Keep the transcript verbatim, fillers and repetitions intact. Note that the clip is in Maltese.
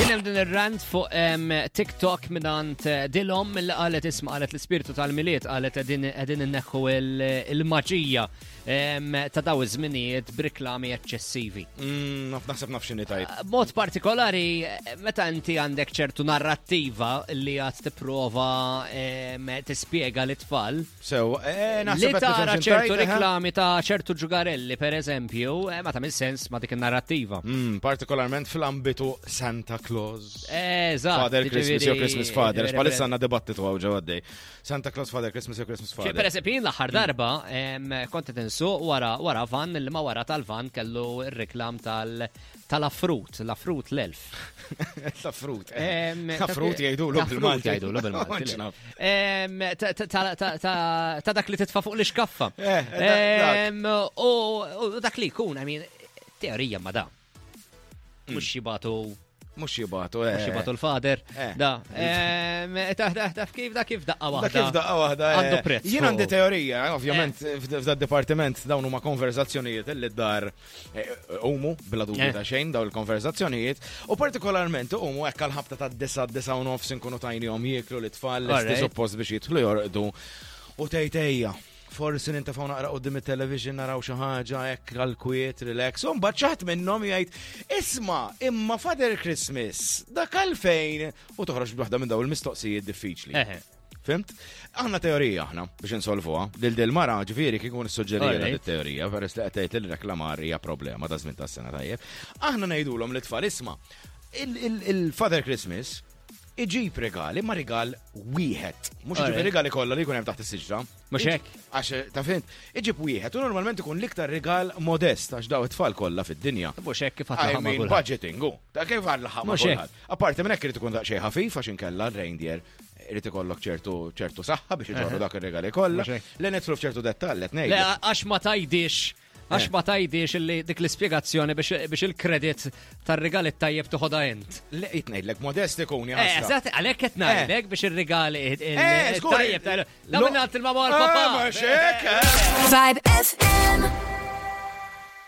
Kien hemm din ir-rant fuq em, TikTok mingħand eh, Dilom li qalet, isma', qalet l-ispirtu tal-Milied, qalet qegħdin qegħdin inneħħu il- il-maġija em, ta' daw iż-żminijiet b'riklami eċċessivi. Mm, naf naħseb naf x'inhi tajt. Mod partikolari, eh, meta inti għandek ċertu narrattiva li għad tipprova em, tispjega lit-tfal, Sew, eh, li naħseb qed tara nifhem x'inhi ċertu tajt, eh? reklami ta' ċertu ġugarelli, per eżempju, eh, ma ta' sens ma' dik il-narrattiva. Mm, partikolarment fl-ambitu Santa Claus. Eżatt. Father Christmas jew Ġifieri- Christmas Father. Ġifieri- Bħalissa għandna dibattitu hawn ġew għaddej. Santa Claus, Father Christmas jew Christmas Per Father. eżempju, jien l-aħħar darba em, kont qed insuq wara wara van li ma wara tal-van kellu r-reklam tal tal-affrut, l-affrut l-elf. Ta' frut. Em, Ta' frut jgħidulu ta' frut bil-Malti. jgħidulu bil-Malti. Ma naf. Em, ta- ta- ta- ta- Ta ta' dak li titfa' fuq l-iskaffa. Eh, dak- dak. Em, U u dak li jkun, I mean, teorija ma da. Mhux jibagħtu Mhux jibagħtu, eh. mhux jibagħtu l-father. Eh. Da. Em, Ta' ta' taf kif da kif daqqa Da waħda. kif daqqa waħda. eh. Għandu prezz. Jien għandi fuq. teorija, ovvjament, f'da dipartiment dawn huma konverzazzjonijiet li d-dar eh, umu, bla dubju Eh. ta' xejn, dawn il-konverzazzjonijiet, u partikolarment umu hekk għal-ħabta ta' disa disa u nofs inkunu tajnihom jieklu l-tfal Alright. l suppost biex jidħlu jorqdu. U tejtejja. Forsi nintefgħu naqra quddiem it-television naraw xi ħaġa hekk għal-kwiet, relax. U mbagħad xi ħadd minnhom jgħid, "Isma', imma Father Christmas, dak għalfejn?" U toħroġ b'waħda minn dawn il-mistoqsijiet diffiċli. Eħe. Fhimt? Aħna teorija aħna biex insolvuha. Lil del mara ġifieri kieku nissuġġerija Alright. teorija peress li qed tgħid li reklamar hija problema ta' żmien tas-sena, tajjeb. Aħna ngħidulhom li tfal, isma', il-Father Christmas iġib regali, ma rigal wieħed. Mhux iġib Alright. regali kollha li jkun hemm taħt is-siġra. Mhux hekk? Għax ta' fhimt, iġib wieħed u normalment ikun l-iktar rigal modest għax daw it-tfal kollha fid-dinja. Mhux hekk kif I għatlaħam mean, kulħadd. budgeting, u. Ta' kif għall-ħama Mhux hekk. kulħadd. Apparti minn hekk irid ikun daqsxejn ħafif għax inkella r-reindeer irid ikollok ċertu ċertu saħħa biex iġorru dak ir-regali kollha. Mhux hekk. Le nidħlu f'ċertu dettall qed Le, ngħidlek. għax ma tajdix, għax Eh. ma tajdix illi dik l-ispjegazzjoni biex biex il-kredit tar-rigali tajjeb toħodha int. Le qed ngħidlek modest ikun Eh, jaħasra. eżatt, għalhekk qed ngħidlek biex ir-rigali Eh, żgur. tajjeb. Da minn għand il-mama u l-papa. Eh, mhux hekk, eh. Vibe F M.